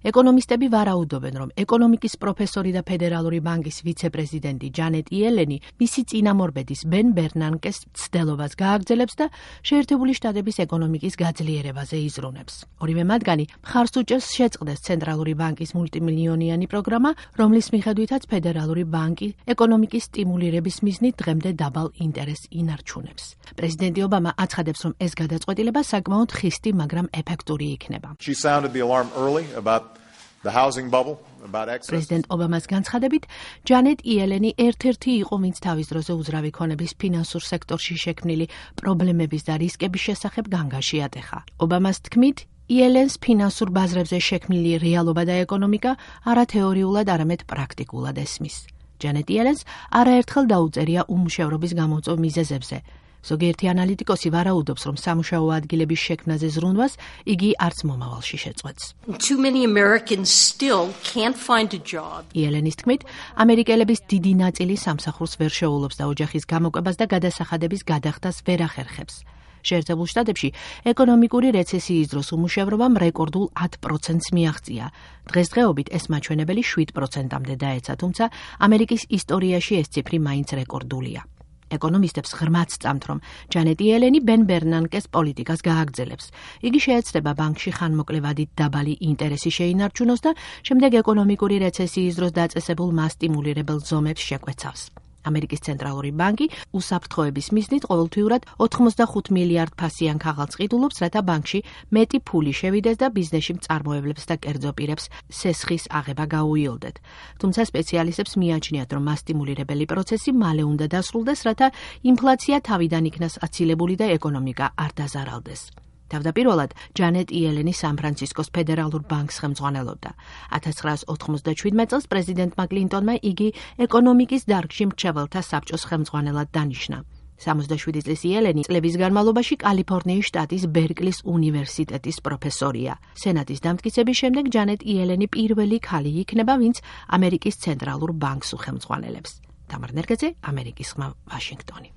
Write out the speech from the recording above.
ეკონომისტები ვარაუდობენ, რომ ეკონომიკის პროფესორი და ფედერალური ბანკის ვიცე-პრეზიდენტი ჯანეტ იელენი მისი წინამორბედის ბენ ბერნანკეს ცდელობას გააგრძელებს და შეერთებული შტატების ეკონომიკის გაძლიერებაზე იზრუნებს. ორივე მათგანი მხარს უჭერს შეწყდეს ცენტრალური ბანკის მულტიმილიონიანი პროგრამა, რომლის მიხედვითაც ფედერალური ბანკი ეკონომიკის სტიმულირების მიზნით დღემდე დაბალ ინტერესს ინარჩუნებს. პრეზიდენტი ობამა აცხადებს, რომ ეს გადაწყვეტილება საკმაოდ ხისტი, მაგრამ ეფექტური იქნება. პრეზიდენტ ობამას განცხადებით, ჯანეტ იელენი ერთ-ერთი იყო, ვინც თავის დროზე უძრავი ქონების ფინანსურ სექტორში შექმნილი პრობლემების და რისკების შესახებ განგაში ატეხა. ობამას თქმით, იელენს ფინანსურ ბაზრებზე შექმნილი რეალობა და ეკონომიკა არა თეორიულად, არამედ პრაქტიკულად ესმის. ჯანეტ იელენს არაერთხელ დაუწერია უმუშევრობის გამომწვევ მიზეზებზე. ზოგიერთი ანალიტიკოსი ვარაუდობს, რომ სამუშაო ადგილების შექმნაზე ზრუნვას იგი არც მომავალში შეწყვეტს. იელენის თქმით, ამერიკელების დიდი ნაწილი სამსახურს ვერ შეულობს და ოჯახის გამოკვებას და გადასახადების გადახდას ვერ ახერხებს. შეერთებულ შტატებში ეკონომიკური რეცესიის დროს უმუშევრობამ რეკორდულ 10%-ს მიაღწია. დღესდღეობით ეს მაჩვენებელი 7%-მდე დაეცა, თუმცა ამერიკის ისტორიაში ეს ციფრი მაინც რეკორდულია. ეკონომისტებს ღრმად სწამთ, რომ ჯანეტ იელენი ბენ ბერნანკეს პოლიტიკას გააგრძელებს. იგი შეეცდება ბანკში ხანმოკლევადით დაბალი ინტერესი შეინარჩუნოს და შემდეგ ეკონომიკური რეცესიის დროს დაწესებულ მასტიმულირებელ ზომებს შეკვეცავს. ამერიკის ცენტრალური ბანკი უსაფრთხოების მიზნით ყოველთვიურად 85 მილიარდ ფასიან ქაღალდს ყიდულობს, რათა ბანკში მეტი ფული შევიდეს და ბიზნესში მწარმოებლებს და კერძო პირებს სესხის აღება გაუიოლდეთ. თუმცა სპეციალისტებს მიაჩნიათ, რომ მასტიმულირებელი პროცესი მალე უნდა დასრულდეს, რათა ინფლაცია თავიდან იქნას აცილებული და ეკონომიკა არ დაზარალდეს. თავდაპირველად ჯანეტ იელენი სან-ფრანცისკოს ფედერალურ ბანკს ხელმძღვანელობდა. 1997 წელს პრეზიდენტმა კლინტონმა იგი ეკონომიკის დარგში მრჩეველთა საბჭოს ხელმძღვანელად დანიშნა. 67 წლის იელენი წლების განმავლობაში კალიფორნიის შტატის ბერკლის უნივერსიტეტის პროფესორია. სენატის დამტკიცების შემდეგ ჯანეტ იელენი პირველი ქალი იქნება, ვინც ამერიკის ცენტრალურ ბანკს უხელმძღვანელებს. თამარ ნერგეძე, ამერიკის ხმა, ვაშინგტონი.